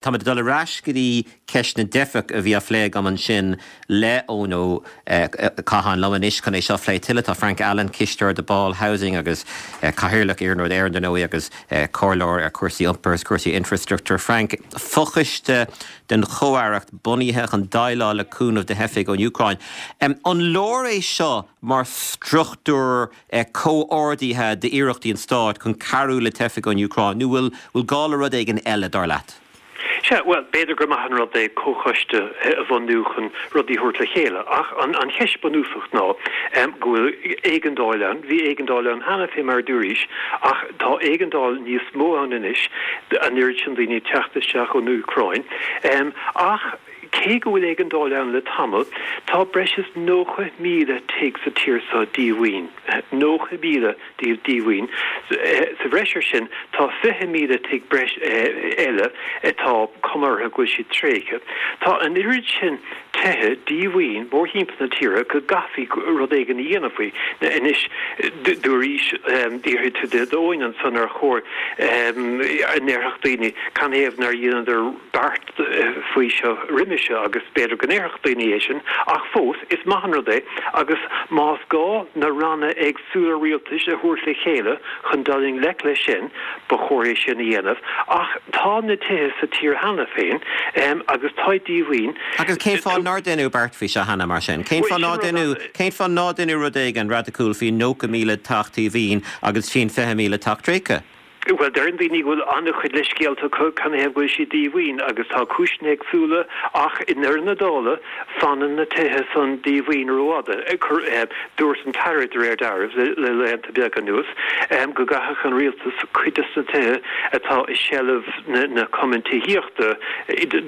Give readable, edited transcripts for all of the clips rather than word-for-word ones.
Táimid ag dul ar ais go dtí ceist na dteifeach a bhí á phlé agam ansin le Eoin Ó Catháin. Liom anois chun é seo a phlé tuilleadh tá Frank Allen, cisteoir Debarl Housing agus Cathaoirleach Iarnród Éireann dar ndóigh agus comhairleoir ar chúrsaí iompair agus cúrsaí infreastruchtúir. Frank, fochoiste den Chomh-Aireacht bunaithe chun déileáil le cúnamh do theifigh ón Úcráin. An leor é seo mar struchtúr comhordaithe d'iarrachtaí an stáit chun cabhrú le teifigh ón Úcráin, nó bhfuil bhfuil gá le rud éigin eile, dar leat? Sea, bhuel, b'fhéidir gur maith an rud é comhchoiste a bhunú chun rudaí a thabhairt le chéile, ach an cheist bunúsach ná go bhfuil éigeandáil ann, bhí éigeandáil ann cheana fé mar a dúraís, ach tá éigeandáil níos mó ann anois, an oiread sin daoine ag teacht isteach ón Úcráin. Ach cé go bhfuil éigeandáil ann le tamall, tá breis is 90,000 tigh sa tír seo díomhaoin. 90,000 díobh díomhaoin. Sa bhreis ar sin, tá 20,000 tigh breis eile atá cuma orthu go bhfuil siad tréigthe. Tá an oiread sin tithe díomhaoin mórthimpeall na tíre go gcaithfí rud éigin a dhéanamh faoi. Anois, dúraís, d'fhiafraigh tú d'Eoin ansan ar chóir a ndéarfadh daoine canathaobh nár dheineadar beart faoi seo roimhe seo agus b'fhéidir go ndéarfadh daoine é sin ach fós is maith an rud é agus más gá na ranna éagsúla rialtais a thabhairt le chéile chun dul i ngleic leis sin ba chóir é sin a dhéanamh ach tá na tithe sa tír cheana féin agus táid díomhaoin. Agus cén fáth nár deineadh beart faoi seo cheana mar sin? Cén fáth nár deineadh, cén fáth nár deineadh rud éigin radacúil faoin 90,000 teach díomhaoin agus faoin 20,000 teach tréigthe? Bhuel, deireann daoine go bhfuil an-chuid leithscéalta acu canathaobh go bhfuil siad díomhaoin agus tá cúiseanna éagsúla ach i ndeireadh na dála fanann na tithe san díomhaoin rófhada. Dúirt an tAire, de réir dealraimh, le laethanta beaga anuas go gcaithfeadh an rialtas cuid des na tithe atá i seilbh na cumann tithíochta,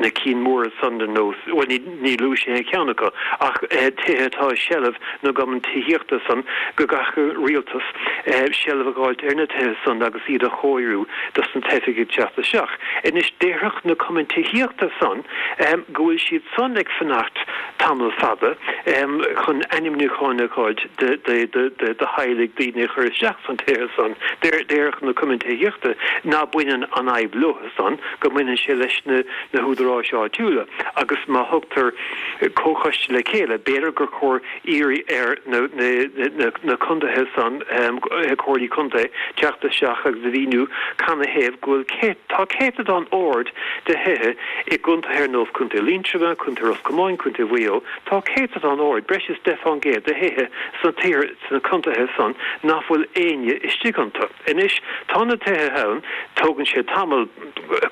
na cinn móra san ar nós, bhuel ní, Ní luaigh sé aon cheann acu, ach tithe atá i seilbh na gcumann tithíochta san, go gcaithfeadh an rialtas seilbh a dh'fháilt ar na tithe san agus iad a chóiriú dos na teifigh ag teacht isteach. Anois, déarfadh na cumainn tithíochta san go bhfuil siad san ag fanacht tamall fada chun ainmniúcháin a dh'fháilt do theaghlaigh daoine a chur isteach san tithe san. Déarfadh na cumainn tithíochta ná baineann an fhadhb leo san, go mbaineann sé leis na húdaráis áitiúla agus má thugtar comhchoiste le chéile, b'fhéidir gur chóir iarraidh ar na contaetha san, comhairlí contae, teacht isteach agus a mhíniú canathaobh go bhfuil, tá céatadán ard de thithe i gcontaetha ar nós Contae Liatroma, Contae Ros Comáin, Contae Mhaigh Eo, tá céatadán ard, breis is 10 fán gcéad de thithe sna contaetha san nach bhfuil éinne istigh iontu. Anois, tá na tithe ann, tógann sé tamall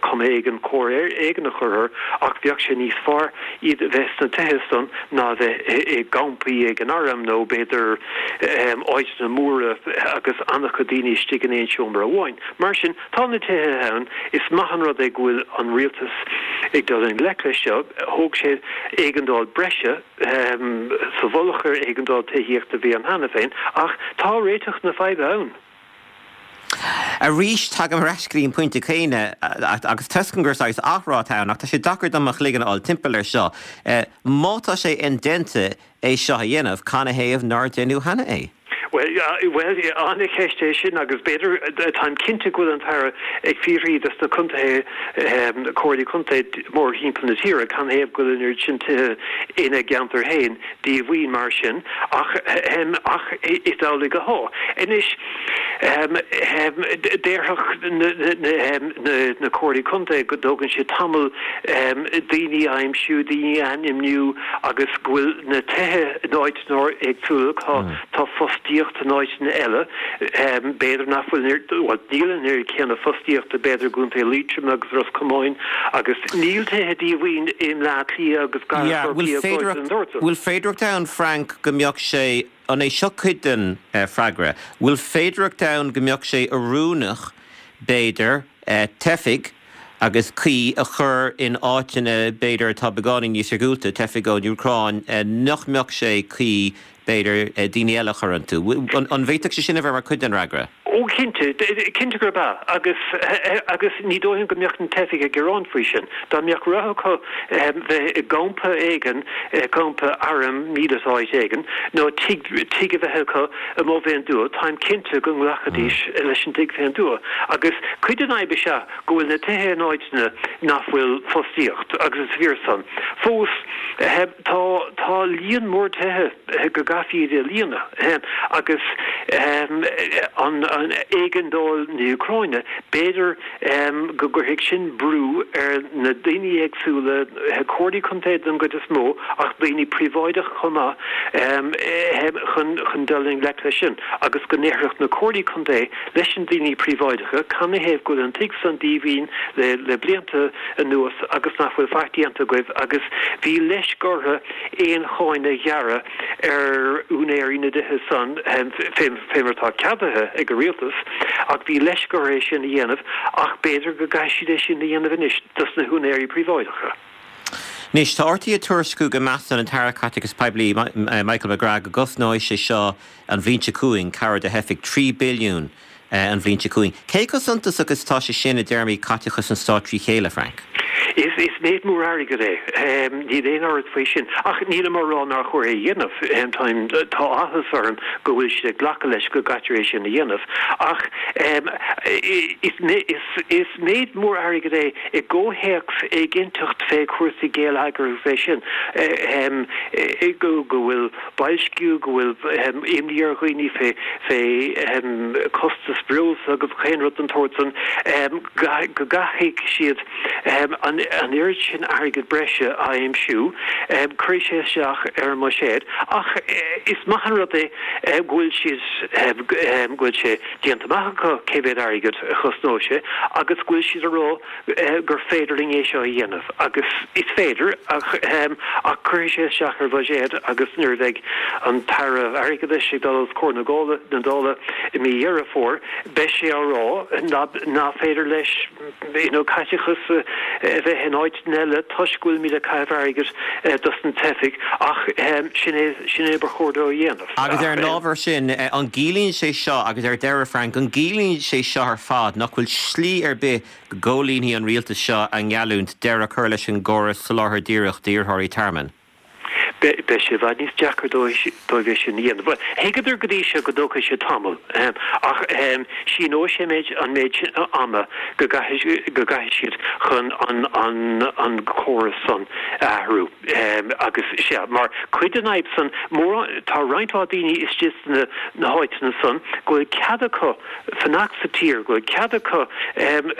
cuma éigin, cóir éigin a chur orthu, ach bheadh sé níos fearr iad a bheith sna tithe san ná a bheith i gcampaí ag an arm nó b'fhéidir áiteanna móra agus an-chuid daoine istigh in aon seomra amháin. Mar sin, tá na tithe ann, is maith an rud é go bhfuil an rialtas ag dul i ngleic leis seo, thóg sé éigeandáil breise, sa mhullach ar éigeandáil tithíochta a bhí ann cheana féin, ach tá réiteach na faidhbe ann. Arís, tagaim ar ais go dtí an pointe céanna, agus tuigim gur saghas athrá atá ann, ach tá sé deacair dom mo chloigeann a fháil timpeall air seo. Má tá sé indéanta é seo a dhéanamh, canathaobh nár deineadh cheana é? Bhuel, an-cheist é sin agus b'fhéidir, táim cinnte go bhfuil an tAire ag fiafraí dos na contaetha, comhairlí contae mórthimpeall na tíre, canathaobh go bhfuil an oiread sin tithe ina gceantar féin díomhaoin mar sin ach, ach is amhlaidh atá. Anois, déarfadh na comhairlí contae go dtógann sé tamall daoine a aimsiú, daoine a ainmniú agus go bhfuil na tithe in áiteanna éagsúla, tá fostaíocht in áiteanna eile, b'fhéidir nach bhfuil an oiread, bhuel, níl an oiread céanna fostaíochta b'fhéidir i gContae Liatroma agus Ros Comáin agus níl tithe díomhaoin i mBleá Cliath agus gar do Chorcaí agus áiteanna den tsórt san. Bhfuil féidearthacht ann, Frank, go mbeadh sé, an é seo cuid den freagra, bhfuil féidearthacht ann go mbeadh sé oiriúnach, b'fhéidir, teifigh agus cuí a chur in áiteanna, b'fhéidir, atá beagáinín níos iargúlta, teifigh ón Úcráin, nach mbeadh sé cuí, b'fhéidir, daoine eile a chur iontu. An bhféadfadh sé sin a bheith mar chuid den fhreagra? Ó cinnte, cinnte gurb ea. Agus, agus ní dóigh liom go mbeadh na teifigh ag gearán faoi sin. Dá mbeadh rogha acu bheith i gcampa éigin, campa airm míleata áit éigin, nó tigh, tigh a bheith acu amuigh fén dtuath, táim cinnte go nglacfaidís leis an dtigh fén dtuath. Agus cuid den fhadhb is ea go bhfuil na tithe in áiteanna nach bhfuil fostaíocht, agus is fíor san. Fós, tá, tá líon mór tithe. go gcaithfí iad a líonadh agus an éigeandáil na hÚcráine, b'fhéidir go gcuirfidh sin brú ar na daoine éagsúla, comhairlí contae den gcuid is mó ach daoine príobháideach chomh maith, chun dul i ngleic leis sin agus go ndéarfadh na comhairlí contae leis na daoine príobháideacha canathaobh go bhfuil an tigh san díomhaoin le blianta anuas agus nach bhfuil faic déanta agaibh agus bhí leisc orthu aon cháin a ghearradh ar úinéirí na dtithe san, fé mar atá ceadaithe ag an rialtas, ach bhí leisc orthu é sin a dhéanamh, ach b'fhéidir go gcaithfidh siad é sin a dhéanamh anois dos na húinéirí príobháideacha. Anois, tá RTÉ ag tuairisciú go measann an tAire Caiteachais Poiblí, Michael McGrath, go gcosnóidh sé seo an bhliain seo chugainn, cabhair do theifigh, 3 billiún an bhliain seo chugainn. Cé chomh suntasach is atá sé sin i dtéarmaí caiteachas an stáit trí chéile, Frank? Is méid mór airgid é, níl aon amhras faoi sin. Ach nílim á rá nár chóir é a dhéanamh. Táim, tá áthas orm go bhfuil siad ag glacadh leis go gcaitear é sin a dhéanamh. Ach is méid mór airgid é i gcomhthéacs éiginnteacht fé chúrsaí geilleagair agus é sin, go bhfuil boilsciú, go bhfuil imní ar dhaoine fé fé costas breosla agus chaon rud den tsórt san, go gcaithfidh siad an oiread sin airgead breise a aimsiú, cuirfidh sé isteach ar an mbuiséad. Ach is maith an rud é go bhfuil siad, go bhfuil sé déanta amach acu cé mhéad airgead a chosnóidh sé agus go bhfuil siad a rá gur féidir linn é seo a dhéanamh agus is féidir ach ach cuirfidh sé isteach ar bhuiséad agus nuair a bheidh an tAire Airgeadais ag dul os comhair na Gála na Dála i mí Dheireadh Fómhair beidh sé á rá nach féidir leis you know caiteachas a bheith in áiteanna eile toisc go bhfuilimid ag caitheamh airgid dos na teifigh ach sin é sin é ba chóir dó a dhéanamh. Agus ar an ábhar sin, an gciallaíonn sé seo, agus ar deireadh Frank, an gciallaíonn sé seo ar fad nach bhfuil slí ar bith go gcomhlíonfaidh an rialtas seo a ngeallúint deireadh a chur leis an gcóras soláthair díreach d'iarrthóirí tearmainn? Beidh sé i bhfad níos deacra dóibh é sin a dhéanamh. Bhuel, thuigeadar go dtí seo go dtógfaidh sé tamall, ach síneoidh sé an méid sin ama go gcaithfidh siad chun an córas san a athrú. Agus sea, mar chuid den fhadhb san, mórán, tá roinnt mhaith daoine istigh sna háiteanna san go bhfuil cead acu fanacht sa tír, go bhfuil cead acu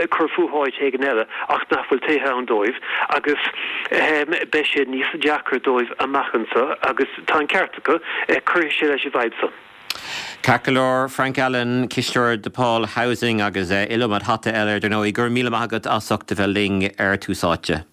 cur fúthu áit éigin eile ach nach bhfuil tithe ann dóibh agus beidh sé níos deacra dóibh amach anseo agus tá an ceart acu, cuirfidh sé leis an bhfadhb san. Ceart go leor, Frank Allen, Cisteoir DePaul Housing agus iliomad hata eile ar ndóigh. Go raibh míle maith agat as ucht a bheith linn ar Tús Áite.